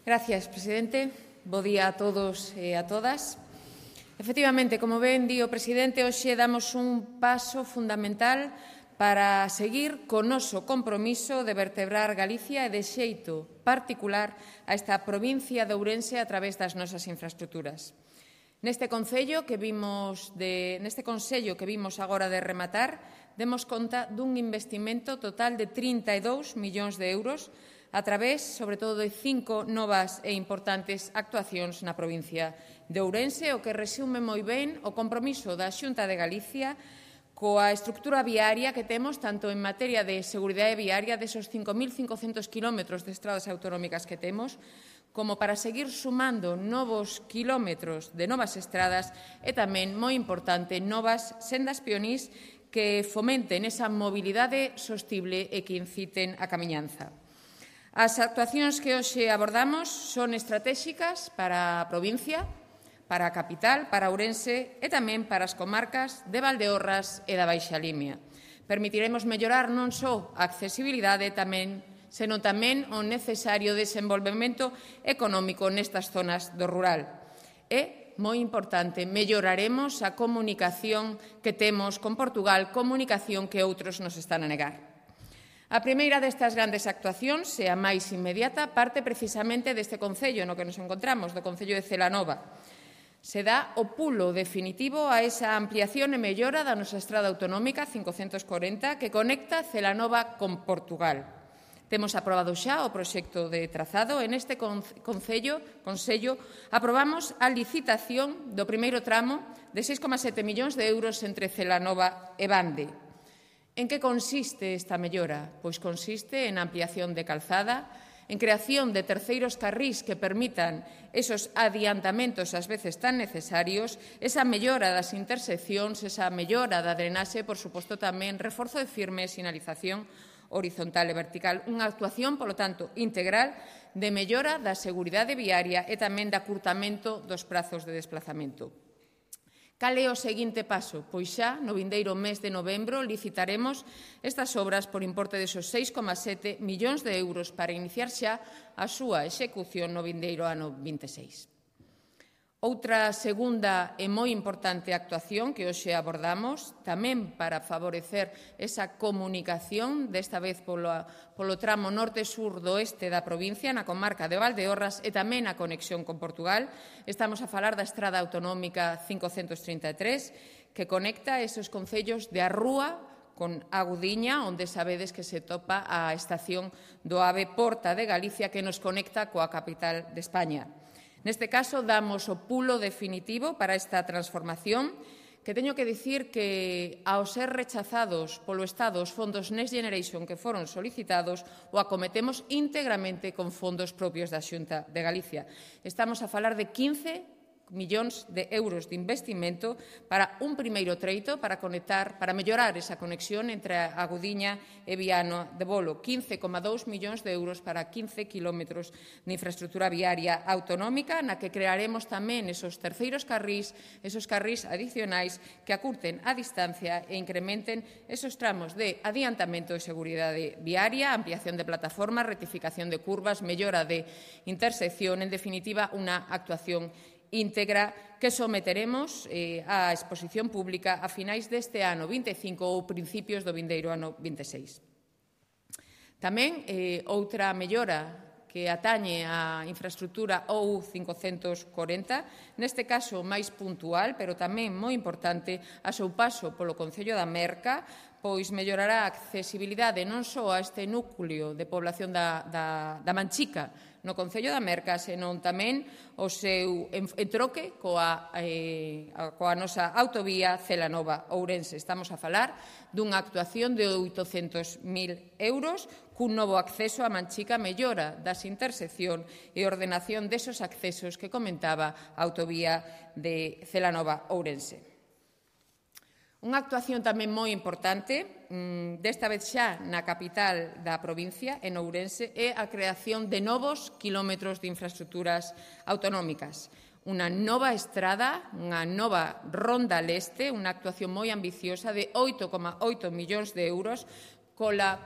Gracias, presidente. Bo día a todos e a todas. Efectivamente, como ben di o presidente, hoxe damos un paso fundamental para seguir co noso compromiso de vertebrar Galicia e de xeito particular a esta provincia de Ourense a través das nosas infraestructuras. Neste Concello que vimos agora de rematar, demos conta dun investimento total de 32 millóns de euros a través, sobre todo, de 5 novas e importantes actuacións na provincia de Ourense, o que resume moi ben o compromiso da Xunta de Galicia coa estructura viaria que temos, tanto en materia de seguridade viaria, desos 5.500 kilómetros de estradas autonómicas que temos, como para seguir sumando novos kilómetros de novas estradas e tamén, moi importante, novas sendas pionís que fomenten esa mobilidade sostible e que inciten a camiñanza. As actuacións que hoxe abordamos son estratéxicas para a provincia, para a capital, para Ourense e tamén para as comarcas de Valdeorras e da Baixa Limia. Permitiremos mellorar non só a accesibilidade, senón tamén o necesario desenvolvemento económico nestas zonas do rural. E, moi importante, melloraremos a comunicación que temos con Portugal, comunicación que outros nos están a negar. A primeira destas grandes actuacións, e a máis inmediata, parte precisamente deste concello no que nos encontramos, do concello de Celanova. Se dá o pulo definitivo a esa ampliación e mellora da nosa estrada autonómica 540 que conecta Celanova con Portugal. Temos aprobado xa o proxecto de trazado e neste Consello aprobamos a licitación do primeiro tramo de 6,7 millóns de euros entre Celanova e Bande. En que consiste esta mellora? Pois consiste en ampliación de calzada, en creación de terceiros carrís que permitan esos adiantamentos ás veces tan necesarios, esa mellora das interseccións, esa mellora da drenaxe, por suposto tamén reforzo de firme e sinalización horizontal e vertical. Unha actuación, polo tanto, integral de mellora da seguridade viaria e tamén de acurtamento dos prazos de desplazamento. Cal é o seguinte paso? Pois xa, no vindeiro mes de novembro, licitaremos estas obras por importe de esos 6,7 millóns de euros para iniciar xa a súa execución no vindeiro ano 26. Outra segunda e moi importante actuación que hoxe abordamos, tamén para favorecer esa comunicación, desta vez polo tramo norte-sur do oeste da provincia, na comarca de Valdeorras, e tamén a conexión con Portugal. Estamos a falar da estrada autonómica 533, que conecta esos concellos de Arrúa con Agudiña, onde sabedes que se topa a estación do AVE Porta de Galicia, que nos conecta coa capital de España. Neste caso, damos o pulo definitivo para esta transformación, que teño que dicir que, ao ser rechazados polo Estado os fondos Next Generation que foron solicitados, o acometemos íntegramente con fondos propios da Xunta de Galicia. Estamos a falar de 15 millóns de euros de investimento para un primeiro treito para mellorar esa conexión entre a Gudiña e Viana de Bolo. 15,2 millóns de euros para 15 kilómetros de infraestructura viaria autonómica, na que crearemos tamén esos terceiros carrís, esos carrís adicionais que acurten a distancia e incrementen esos tramos de adiantamento de seguridade viaria, ampliación de plataformas, rectificación de curvas, mellora de intersección, en definitiva, unha actuación íntegra que someteremos á exposición pública a finais deste ano 25 ou principios do vindeiro ano 26. Tamén outra mellora que atañe á infraestructura OU 540, neste caso máis puntual, pero tamén moi importante, a seu paso polo Concello da Merca, pois mellorará a accesibilidade non só a este núcleo de población da Manchica no Concello da Merca, senón tamén o seu entroque coa nosa autovía Celanova-Ourense. Estamos a falar dunha actuación de 800.000 euros cun novo acceso a Manchica, mellora das intersección e ordenación desos accesos que comentaba a autovía de Celanova-Ourense. Unha actuación tamén moi importante, desta vez xa na capital da provincia, en Ourense, é a creación de novos quilómetros de infraestructuras autonómicas. Unha nova estrada, unha nova ronda leste, unha actuación moi ambiciosa de 8,8 millóns de euros, coa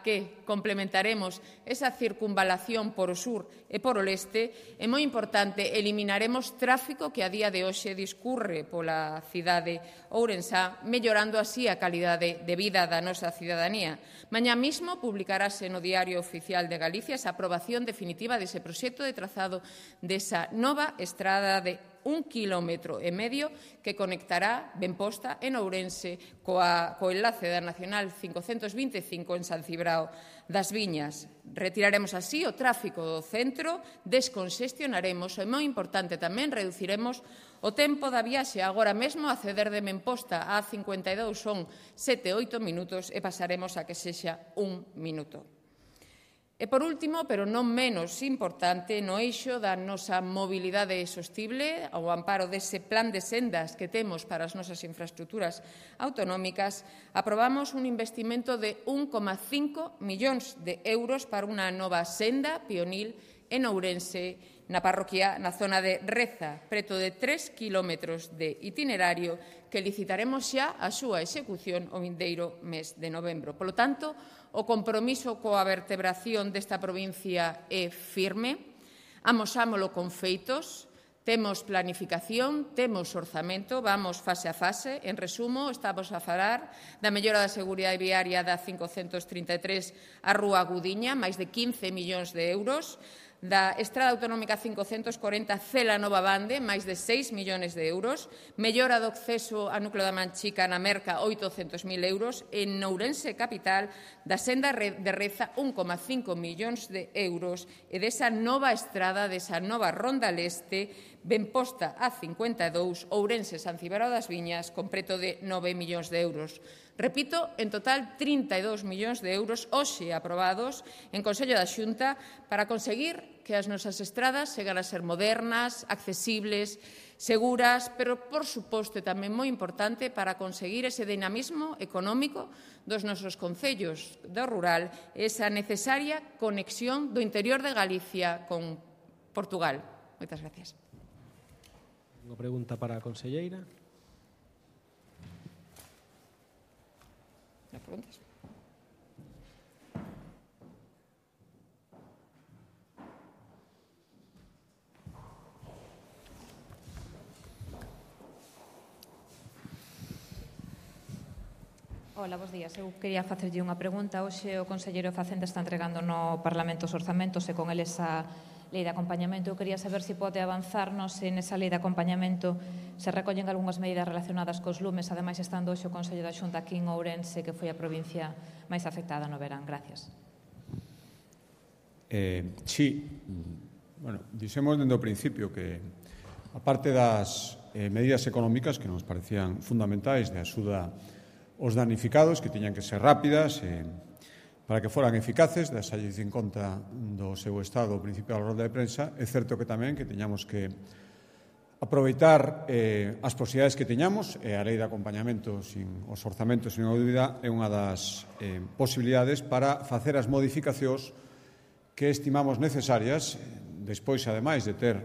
que complementaremos esa circunvalación por o sur e por o leste, é moi importante, eliminaremos tráfico que a día de hoxe discurre pola cidade ourensá, mellorando así a calidade de vida da nosa cidadanía. Mañá mismo publicarase no Diario Oficial de Galicia esa aprobación definitiva dese proxecto de trazado desa nova estrada de 1,5 km que conectará ben posta en Ourense co enlace da Nacional 525 en San Cibrao das Viñas. Retiraremos así o tráfico do centro, desconxestionaremos e, moi importante tamén, reduciremos o tempo da viaxe. Agora mesmo, acceder de Memposta a 52 son 7-8 minutos e pasaremos a que sexa 1 minuto. E, por último, pero non menos importante, no eixo da nosa mobilidade sostible, ao amparo dese plan de sendas que temos para as nosas infraestructuras autonómicas, aprobamos un investimento de 1,5 millóns de euros para unha nova senda pionil en Ourense, na zona de Reza, preto de 3 kilómetros de itinerario que licitaremos xa a súa execución o vindeiro mes de novembro. Polo tanto, o compromiso coa vertebración desta provincia é firme, amosámolo con feitos, temos planificación, temos orzamento, vamos fase a fase. En resumo, estamos a falar da mellora da seguridade viaria da 533 a Rúa Gudiña, máis de 15 millóns de euros, da Estrada Autonómica 540 Celanova Bande, máis de 6 millóns de euros, mellora do acceso a núcleo da Manchica na Merca, 800.000 euros, en Ourense Capital, da senda de Reza, 1,5 millóns de euros, e desa nova estrada, desa nova ronda leste, ben posta a 52, Ourense San Cibrao das Viñas, con preto de 9 millóns de euros. Repito, en total 32 millóns de euros hoxe aprobados en Consello da Xunta para conseguir que as nosas estradas chegan a ser modernas, accesibles, seguras, pero, por suposto, tamén moi importante para conseguir ese dinamismo económico dos nosos concellos do rural, esa necesaria conexión do interior de Galicia con Portugal. Moitas gracias. Unha pregunta para a conselleira. Preguntas. Hola, bos días. Eu quería facerlle unha pregunta. Hoxe o conselleiro de Facenda está entregando no Parlamento os orzamentos e con eles a lei de acompañamento. Eu quería saber se pode avanzarnos en esa lei de acompañamento, se recollen algunhas medidas relacionadas cos lumes, ademais estando hoxe o Consello da Xunta aquí en Ourense, que foi a provincia máis afectada no verán. Gracias. Sí. Bueno, dixemos dende o principio que, aparte das medidas económicas que nos parecían fundamentais de axuda aos damnificados, que tiñan que ser rápidas para que foran eficaces, deixalles en conta do seu estado o principio da rolda de prensa, é certo que tamén que teñamos que aproveitar as posibilidades que teñamos, e a lei de acompañamento os orzamentos, sen dúbida, é unha das posibilidades para facer as modificacións que estimamos necesarias, despois, ademais, de ter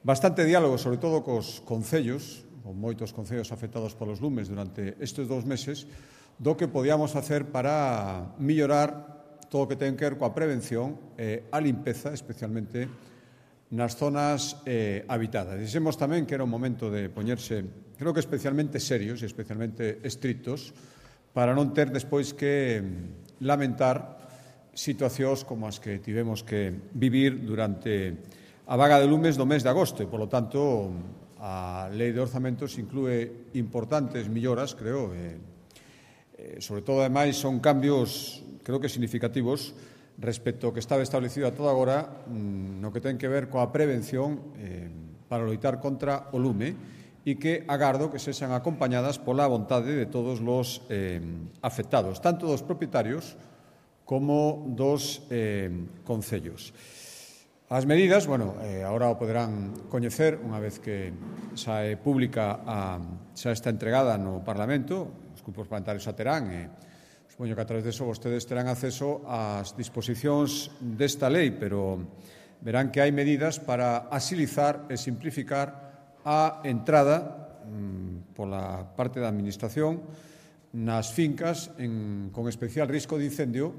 bastante diálogo, sobre todo cos concellos, con moitos concellos afectados polos lumes durante estes 2 meses, do que podíamos facer para mellorar todo o que ten que ver coa prevención e a limpeza, especialmente nas zonas habitadas. Dixemos tamén que era un momento de poñerse, creo que especialmente serios e especialmente estrictos, para non ter despois que lamentar situacións como as que tivemos que vivir durante a vaga de lumes do mes de agosto. E, polo tanto, a Lei de Orzamentos inclúe importantes melloras, creo, sobre todo, ademais, son cambios, creo que significativos, respecto ao que estaba establecido a toda agora no que ten que ver coa prevención para loitar contra o lume e que agardo que sexan acompañadas pola vontade de todos os afectados, tanto dos propietarios como dos concellos. As medidas, agora o poderán coñecer unha vez que sae pública, xa está entregada no Parlamento, os grupos parlamentarios a terán e supoño que a través deso vostedes terán acceso ás disposicións desta lei, pero verán que hai medidas para axilizar e simplificar a entrada pola parte da Administración nas fincas con especial risco de incendio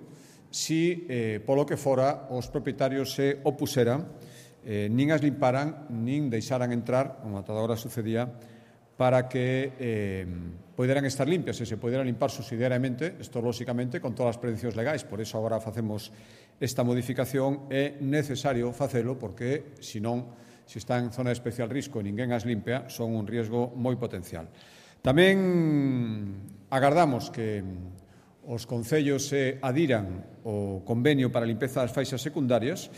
si, polo que fora, os propietarios se opuseran, nin as limparan, nin deixaran entrar, como ata agora sucedía, para que poderan estar limpias e se poderan limpar subsidiariamente, isto lóxicamente con todas as prevencións legais. Por iso agora facemos esta modificación, é necesario facelo porque, senón, se está en zona de especial risco e ninguén as limpia, son un riesgo moi potencial. Tamén agardamos que os concellos se adiran ao convenio para a limpeza das faixas secundarias,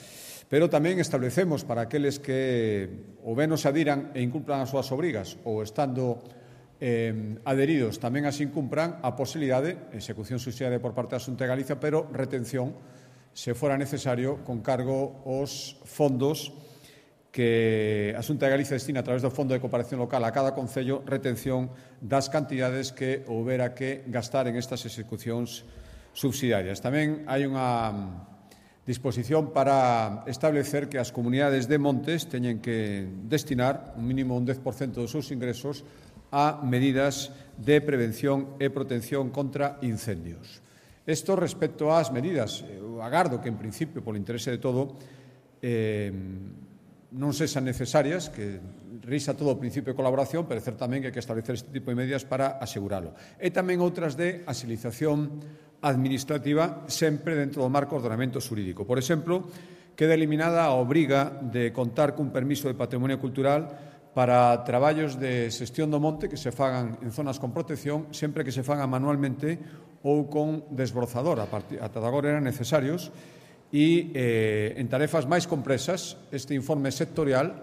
pero tamén establecemos para aqueles que ou ben nos adiran e incumplan as súas obrigas ou estando adheridos tamén as incumpran, a posibilidade de execución subsidiaria por parte da Xunta de Galicia, pero retención, se fora necesario, con cargo aos fondos que a Xunta de Galicia destina a través do Fondo de Cooperación Local a cada concello, retención das cantidades que houbera que gastar en estas execucións subsidiarias. Tamén hai unha disposición para establecer que as comunidades de montes teñen que destinar un mínimo un 10% dos seus ingresos a medidas de prevención e protección contra incendios. Isto respecto ás medidas, eu agardo que, en principio, polo interese de todo, non sexan necesarias, que risa todo o principio de colaboración, pero é certo tamén que hai que establecer este tipo de medidas para aseguralo. E tamén outras de agilización administrativa, sempre dentro do marco do ordenamento xurídico. Por exemplo, queda eliminada a obriga de contar cun permiso de patrimonio cultural para traballos de xestión do monte que se fagan en zonas con protección, sempre que se fagan manualmente ou con desbrozador. Ata agora eran necesarios e en tarefas máis complexas este informe sectorial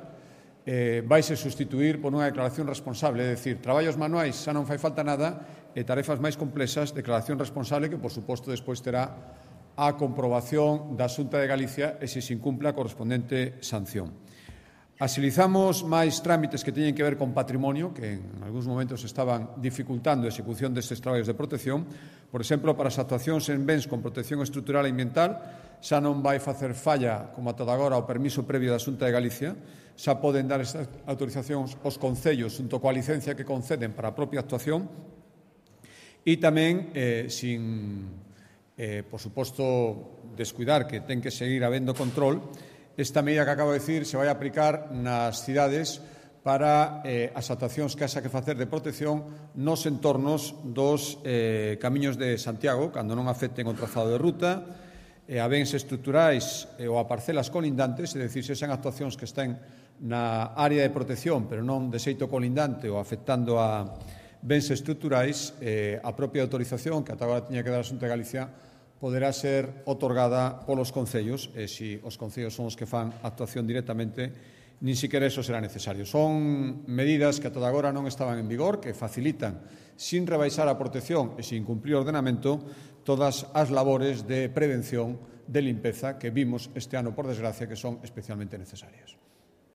vaise sustituir por unha declaración responsable, é dicir, traballos manuais xa non fai falta nada e tarefas máis complexas, declaración responsable que, por suposto, despois terá a comprobación da Xunta de Galicia e se incumpla a correspondente sanción. Axilizamos máis trámites que teñen que ver con patrimonio, que en algúns momentos estaban dificultando a execución destes traballos de protección. Por exemplo, para as actuacións en bens con protección estrutural e ambiental, xa non vai facer falla, como ata agora, o permiso previo da Xunta de Galicia, xa poden dar estas autorizacións aos concellos xunto coa licencia que conceden para a propia actuación e tamén, por suposto, descuidar que ten que seguir habendo control. Esta medida que acabo de decir se vai aplicar nas cidades para as actuacións que haxa que facer de protección nos entornos dos camiños de Santiago, cando non afecten o trazado de ruta, a bens estruturais ou a parcelas colindantes, é dicir, se son actuacións que estén na área de protección, pero non de xeito colindante ou afectando a bens estruturais, a propia autorización que ata agora tiña que dar a Xunta de Galicia poderá ser otorgada polos concellos e se os concellos son os que fan actuación directamente, nin siquiera eso será necesario. Son medidas que ata agora non estaban en vigor, que facilitan, sin rebaixar a protección e sin cumprir o ordenamento, todas as labores de prevención, de limpeza que vimos este ano, por desgracia, que son especialmente necesarias.